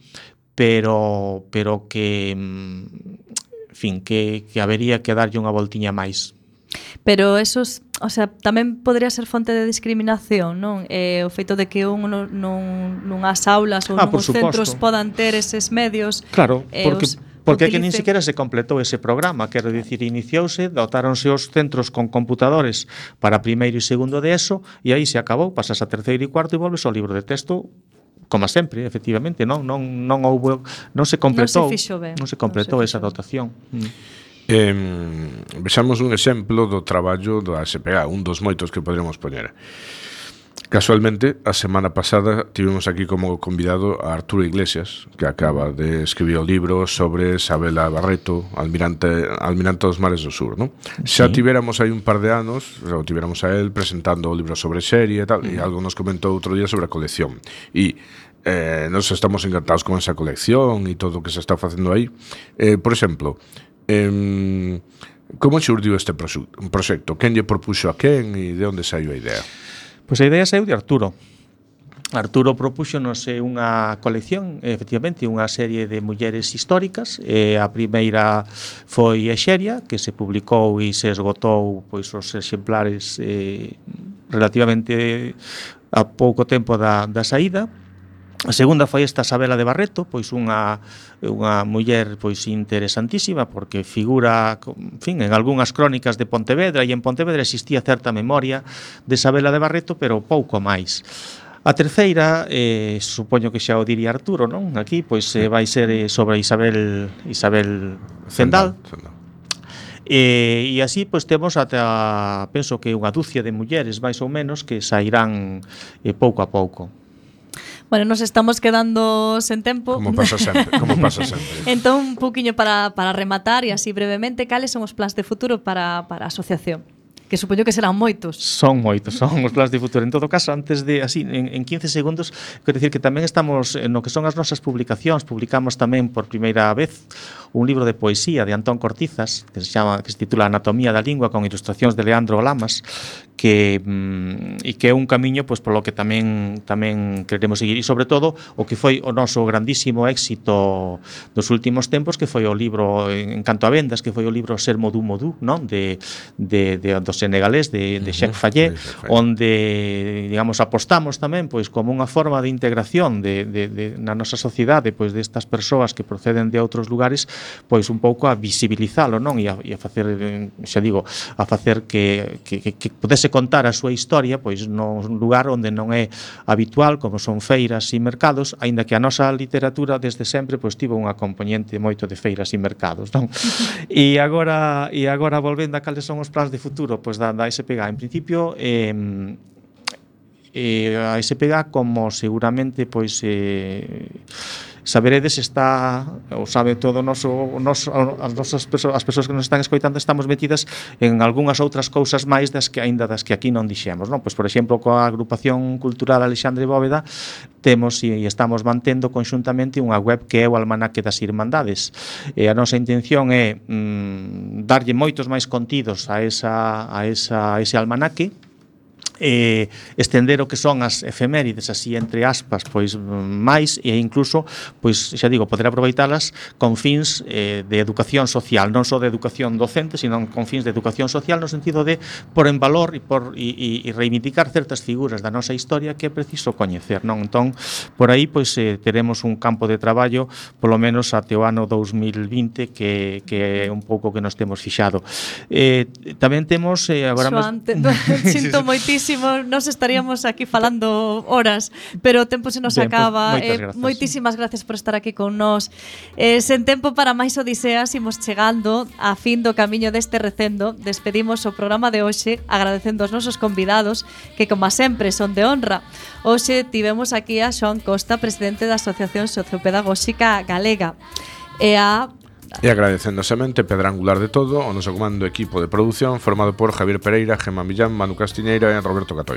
pero pero que en fin, que, que habería que darlle unha voltiña máis. Pero esos, o sea, tamén podría ser fonte de discriminación, non? Eh, o feito de que un non, non, nunhas aulas ou ah, nuns centros podan ter eses medios. Claro, eh, porque os, porque utilice... que nin siquiera se completou ese programa, quero dicir, iniciouse, dotáronse os centros con computadores para primeiro e segundo de eso, e aí se acabou, pasas a terceiro e cuarto e volves ao libro de texto como sempre, efectivamente, non non non houbo, non se completou, non se fixo ben, non se completou non se esa dotación. Mm. Eh, vexamos un exemplo do traballo da S P A, un dos moitos que podríamos poñer. Casualmente, a semana pasada tivemos aquí como convidado a Arturo Iglesias, que acaba de escribir o libro sobre Sabela Barreto, almirante, almirante dos mares do sur, ¿no? Sí. Xa tivéramos aí un par de anos, xa o tivéramos a él presentando o libro sobre serie e tal, mm. e algo nos comentou outro día sobre a colección. E eh, nos estamos encantados con esa colección e todo o que se está facendo aí. Eh, por exemplo, Eh, como xurdiu este proxecto? Quen lle propuxo a quen e de onde saiu a idea? Pois a idea saiu de Arturo. Arturo propúxonos unha colección, efectivamente, unha serie de mulleres históricas. E a primeira foi Exeria, que se publicou e se esgotou pois os exemplares eh, relativamente a pouco tempo da, da saída. A segunda foi esta Sabela de Barreto, pois unha unha muller pois interesantísima porque figura, en fin, en algunhas crónicas de Pontevedra, e en Pontevedra existía certa memoria de Sabela de Barreto, pero pouco máis. A terceira, eh, supoño que xa o diría Arturo, non? Aquí pois eh, vai ser eh, sobre Isabel Isabel Zendal. Zendal. E, e así pois temos ata, penso que unha dúcia de mulleres máis ou menos que sairán eh, pouco a pouco. Bueno, nos estamos quedando sen tempo. Como pasa sempre, como pasa sempre. Entón, un poquinho para, para rematar e así brevemente, cales son os plans de futuro para, para a asociación? Que supoño que serán moitos. Son moitos, son os plans de futuro. En todo caso, antes de, así, en, en quince segundos, quero dicir que tamén estamos, no que son as nosas publicacións, publicamos tamén por primeira vez un libro de poesía de Antón Cortizas, que se chama, que se titula Anatomía da Lingua, con ilustracións de Leandro Lamas, que mm, e que é un camiño pois polo que tamén tamén queremos seguir, e sobre todo o que foi o noso grandísimo éxito dos últimos tempos, que foi o libro en canto a vendas, que foi o libro Ser Modú Modú, non? De de de do senegalés de de Cheikh Fayet, onde digamos apostamos tamén pois como unha forma de integración de de de na nosa sociedade pois destas persoas que proceden de outros lugares, pois un pouco a visibilizalo, non? E a, e a facer, xa digo, a facer que que que, que pudese deixase contar a súa historia pois nun lugar onde non é habitual, como son feiras e mercados, aínda que a nosa literatura desde sempre pois tivo unha componente moito de feiras e mercados, non? E agora e agora volvendo a cales son os plans de futuro pois da, da S P G A, en principio eh, eh, a S P G A, como seguramente pois eh, saberedes, está ou sabe todo o noso, o noso as nosas persoas, as persoas que nos están escoitando, estamos metidas en algunhas outras cousas máis das que aínda das que aquí non dixemos, non? Pois por exemplo, coa agrupación cultural Alexandre Bóveda temos e estamos mantendo conxuntamente unha web que é o Almanaque das Irmandades. E a nosa intención é mm, darlle moitos máis contidos a esa a esa a ese almanaque, eh, estender o que son as efemérides así entre aspas pois máis, e incluso pois xa digo, poder aproveitalas con fins eh, de educación social, non só de educación docente, sino con fins de educación social no sentido de por en valor e por e, e reivindicar certas figuras da nosa historia que é preciso coñecer, non? Entón, por aí pois eh, teremos un campo de traballo polo menos até o ano dous mil vinte que, que é un pouco que nos temos fixado. Eh, tamén temos eh, agora Xoan, te, sinto moitísimo. Nos estaríamos aquí falando horas, pero o tempo se nos ben, acaba. Pues, eh, moitísimas gracias por estar aquí con nós. Eh, sen tempo para máis odiseas, imos chegando a fin do camiño deste recendo. Despedimos o programa de hoxe agradecendo aos nosos convidados que, como sempre, son de honra. Hoxe tivemos aquí a Xoan Costa, presidente da Asociación Sociopedagóxica Galega, e a E agradecendo a semente pedra angular de todo o noso comando equipo de produción formado por Javier Pereira, Gemma Millán, Manu Castiñeira e Roberto Catoira.